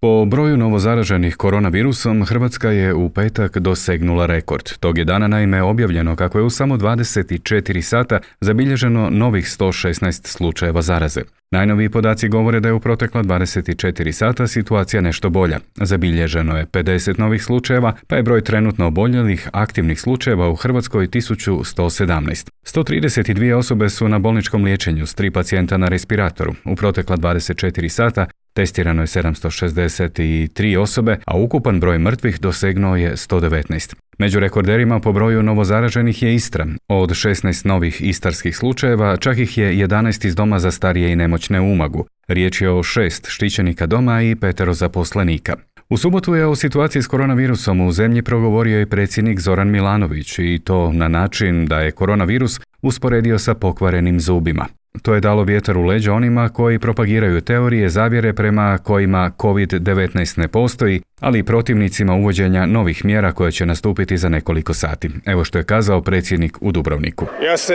Po broju novozaraženih koronavirusom, Hrvatska je u petak dosegnula rekord. Tog je dana naime objavljeno kako je u samo 24 sata zabilježeno novih 116 slučajeva zaraze. Najnoviji podaci govore da je u protekla 24 sata situacija nešto bolja. Zabilježeno je 50 novih slučajeva, pa je broj trenutno oboljelih aktivnih slučajeva u Hrvatskoj 1117. 132 osobe su na bolničkom liječenju s 3 pacijenta na respiratoru. U protekla 24 sata testirano je 763 osobe, a ukupan broj mrtvih dosegnuo je 119. Među rekorderima po broju novozaraženih je Istra. Od 16 novih istarskih slučajeva, čak ih je 11 iz doma za starije i nemoćne u Umagu. Riječ je o 6 štićenika doma i 5 zaposlenika. U subotu je o situaciji s koronavirusom u zemlji progovorio i predsjednik Zoran Milanović i to na način da je koronavirus usporedio sa pokvarenim zubima. To je dalo vjetar u leđa onima koji propagiraju teorije zavjere prema kojima COVID-19 ne postoji, ali i protivnicima uvođenja novih mjera koje će nastupiti za nekoliko sati. Evo što je kazao predsjednik u Dubrovniku.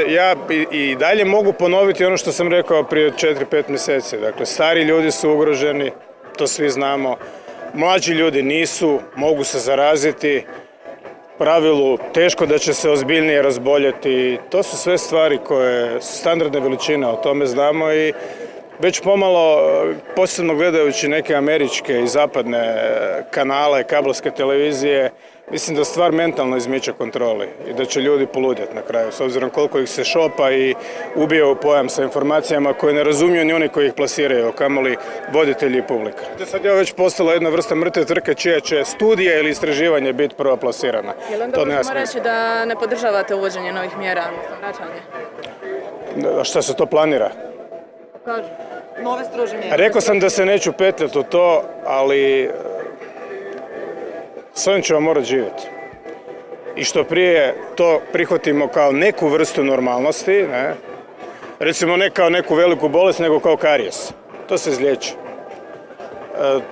Ja i dalje mogu ponoviti ono što sam rekao prije 4-5 mjeseci. Dakle, stari ljudi su ugroženi, to svi znamo. Mlađi ljudi nisu, mogu se zaraziti. Pravilu teško da će se ozbiljnije razboljeti. To su sve stvari koje su standardne veličine, o tome znamo i već pomalo, posebno gledajući neke američke i zapadne kanale, kabelske televizije, mislim da stvar mentalno izmiče kontroli i da će ljudi poludjeti na kraju, s obzirom koliko ih se šopa i ubija u pojam sa informacijama koje ne razumiju ni oni koji ih plasiraju, kamoli voditelji i publika. Sad je već postala jedna vrsta mrtve trke čija će studija ili istraživanje biti prva plasirana. Jel onda možemo reći da ne podržavate uvođenje novih mjera, odnosno vraćanje? A šta se to planira? Kažu, nove strože mjere. Rekao sam da se neću petljati u to, ali s ovim ćemo morati živjeti. I što prije to prihvatimo kao neku vrstu normalnosti, ne? Recimo ne kao neku veliku bolest, nego kao karijes. To se izliječi.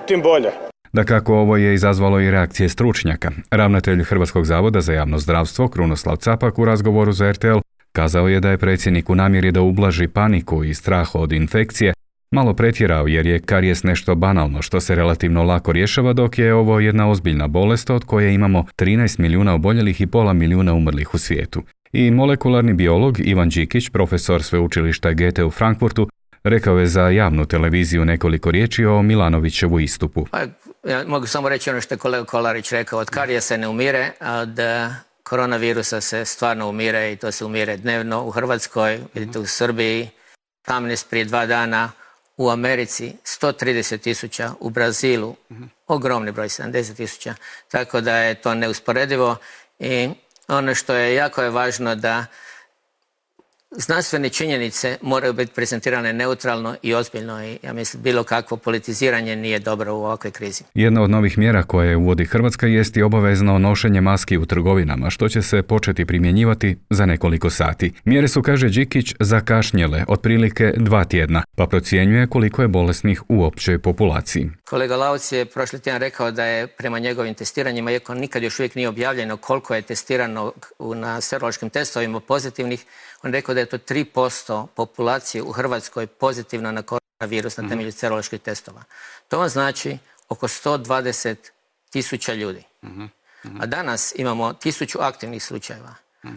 Tim bolje. Dakako, ovo je izazvalo i reakcije stručnjaka. Ravnatelj Hrvatskog zavoda za javno zdravstvo, Krunoslav Capak, u razgovoru za RTL, kazao je da je predsjednik u namjeri da ublaži paniku i strah od infekcije malo pretjerao jer je karijes nešto banalno što se relativno lako rješava, dok je ovo jedna ozbiljna bolest od koje imamo 13 milijuna oboljelih i pola milijuna umrlih u svijetu. I molekularni biolog Ivan Đikić, profesor sveučilišta Goethe u Frankfurtu, rekao je za javnu televiziju nekoliko riječi o Milanovićevu istupu. Ja mogu samo reći ono što je kolega Kolarić rekao, od karijesa se ne umire, a od koronavirusa se stvarno umire i to se umire dnevno u Hrvatskoj, vidite u Srbiji, 18 prije 2 dana, u Americi 130.000, u Brazilu ogromni broj, 70.000, tako da je to neusporedivo i ono što je jako važno da znanstvene činjenice moraju biti prezentirane neutralno i ozbiljno i ja mislim bilo kakvo politiziranje nije dobro u ovakvoj krizi. Jedna od novih mjera koje uvodi Hrvatska jest i obavezno nošenje maski u trgovinama, što će se početi primjenjivati za nekoliko sati. Mjere su, kaže Đikić, zakašnjele otprilike 2 tjedna, pa procjenjuje koliko je bolesnih u općoj populaciji. Kolega Lauc je prošli tjedan rekao da je prema njegovim testiranjima, iako nikad još uvijek nije objavljeno koliko je testirano na serološkim testovima pozitivnih, on rekao da je to 3% populacije u Hrvatskoj pozitivno na koronavirus na temelju seroloških testova. To vam znači oko 120.000 ljudi. A danas imamo 1000 aktivnih slučajeva.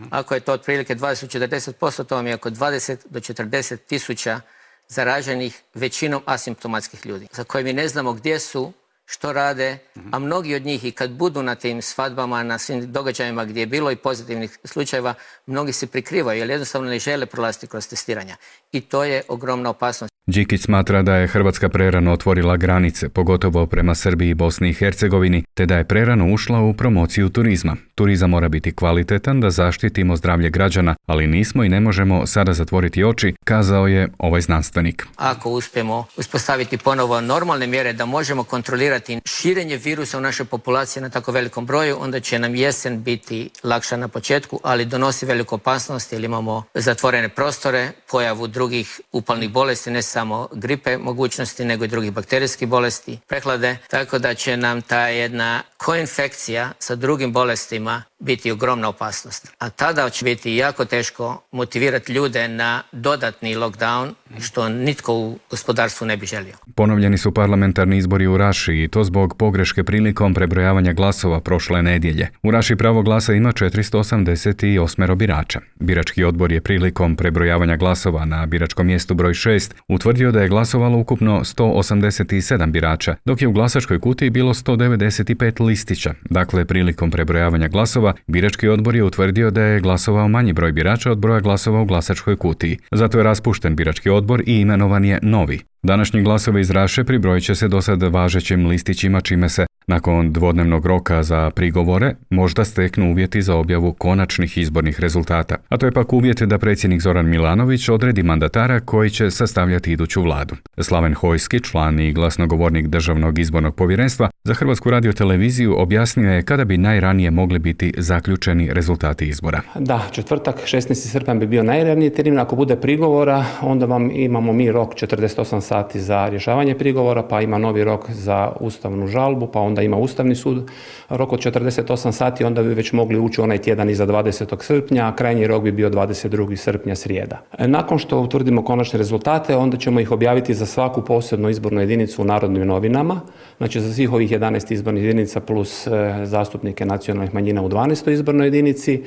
Ako je to otprilike 20-40%, to vam je oko 20 do 40.000 zaraženih većinom asimptomatskih ljudi, za koje mi ne znamo gdje su, što rade, a mnogi od njih i kad budu na tim svadbama, na svim događajima gdje je bilo i pozitivnih slučajeva, mnogi se prikrivaju jer jednostavno ne žele prolaziti kroz testiranja. I to je ogromna opasnost. Đikić smatra da je Hrvatska prerano otvorila granice, pogotovo prema Srbiji i Bosni i Hercegovini, te da je prerano ušla u promociju turizma. Turizam mora biti kvalitetan da zaštitimo zdravlje građana, ali nismo i ne možemo sada zatvoriti oči, kazao je ovaj znanstvenik. Ako uspijemo uspostaviti ponovo normalne mjere da možemo kontrolirati širenje virusa u našoj populaciji na tako velikom broju, onda će nam jesen biti lakša na početku, ali donosi veliku opasnost jer imamo zatvorene prostore, pojavu drugih upalnih bolesti, ne samo gripe mogućnosti, nego i drugih bakterijskih bolesti, prehlade, tako da će nam ta jedna koinfekcija sa drugim bolestima biti ogromna opasnost. A tada će biti jako teško motivirati ljude na dodatni lockdown, što nitko u gospodarstvu ne bi želio. Ponovljeni su parlamentarni izbori u Raši i to zbog pogreške prilikom prebrojavanja glasova prošle nedjelje. U Raši pravo glasa ima 488 birača. Birački odbor je prilikom prebrojavanja glasova na biračkom mjestu broj 6 utvrdio da je glasovalo ukupno 187 birača, dok je u glasačkoj kutiji bilo 195 listića. Dakle, prilikom prebrojavanja glasova, birački odbor je utvrdio da je glasovao manji broj birača od broja glasova u glasačkoj kutiji. Zato je raspušten birački odbor i imenovan je novi. Današnji glasovi iz Raše pribrojit će se do sad važećim listićima, čime se nakon dvodnevnog roka za prigovore možda steknu uvjeti za objavu konačnih izbornih rezultata. A to je pak uvjet da predsjednik Zoran Milanović odredi mandatara koji će sastavljati iduću vladu. Slaven Hojski, član i glasnogovornik Državnog izbornog povjerenstva, za Hrvatsku radioteleviziju objasnio je kada bi najranije mogli biti zaključeni rezultati izbora. Da, četvrtak 16. srpanj bi bio najraniji termin. Ako bude prigovora, onda imamo mi rok 48 sati za rješavanje prigovora, pa ima novi rok za ustavnu žalbu, pa onda ima Ustavni sud rok od 48 sati, onda bi već mogli ući onaj tjedan iza 20. srpnja, a krajnji rok bi bio 22. srpnja, srijeda. Nakon što utvrdimo konačne rezultate, onda ćemo ih objaviti za svaku posebnu izbornu jedinicu u Narodnim novinama, znači za svih ovih 11 izbornih jedinica plus zastupnike nacionalnih manjina u 12. izbornoj jedinici.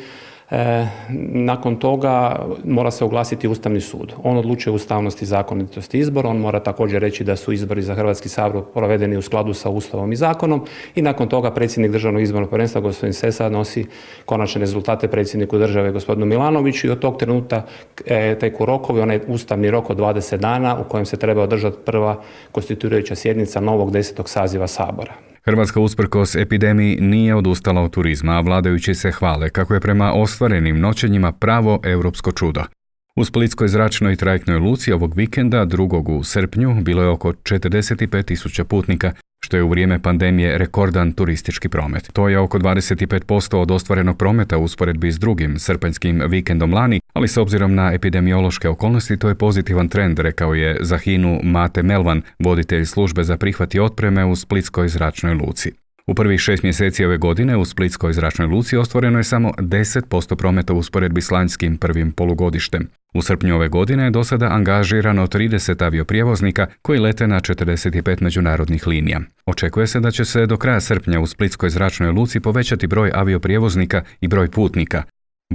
Nakon toga mora se oglasiti Ustavni sud. On odlučuje ustavnosti i zakonitosti izbora, on mora također reći da su izbori za Hrvatski sabor provedeni u skladu sa Ustavom i zakonom i nakon toga predsjednik Državnog izbornog povjerenstva gospodin Sesa nosi konačne rezultate predsjedniku države gospodinu Milanoviću i od tog trenutka teku rokovi, onaj ustavni rok od 20 dana u kojem se treba održati prva konstituirajuća sjednica novog 10. saziva Sabora. Hrvatska usprkos epidemiji nije odustala od turizma, a vladajući se hvale kako je prema ostvarenim noćenjima pravo europsko čudo. U Splitskoj zračnoj trajektnoj luci ovog vikenda, 2. u srpnju, bilo je oko 45.000 putnika, što je u vrijeme pandemije rekordan turistički promet. To je oko 25% od ostvarenog prometa u usporedbi s drugim srpanjskim vikendom lani, ali s obzirom na epidemiološke okolnosti to je pozitivan trend, rekao je za HINA-u Mate Melvan, voditelj službe za prihvat i otpreme u Splitskoj zračnoj luci. U prvih 6 mjeseci ove godine u Splitskoj zračnoj luci ostvareno je samo 10% prometa u usporedbi s lanjskim prvim polugodištem. U srpnju ove godine je do sada angažirano 30 avioprijevoznika koji lete na 45 međunarodnih linija. Očekuje se da će se do kraja srpnja u Splitskoj zračnoj luci povećati broj avioprijevoznika i broj putnika.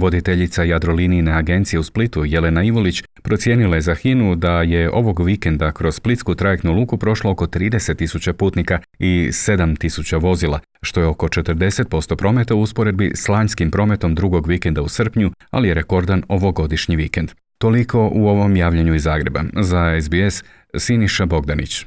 Voditeljica Jadrolinijine agencije u Splitu, Jelena Ivulić, procijenila je za HINA-u da je ovog vikenda kroz Splitsku trajektnu luku prošlo oko 30.000 putnika i 7.000 vozila, što je oko 40% prometa u usporedbi s lanjskim prometom drugog vikenda u srpnju, ali je rekordan ovogodišnji vikend. Toliko u ovom javljanju iz Zagreba. Za SBS, Siniša Bogdanić.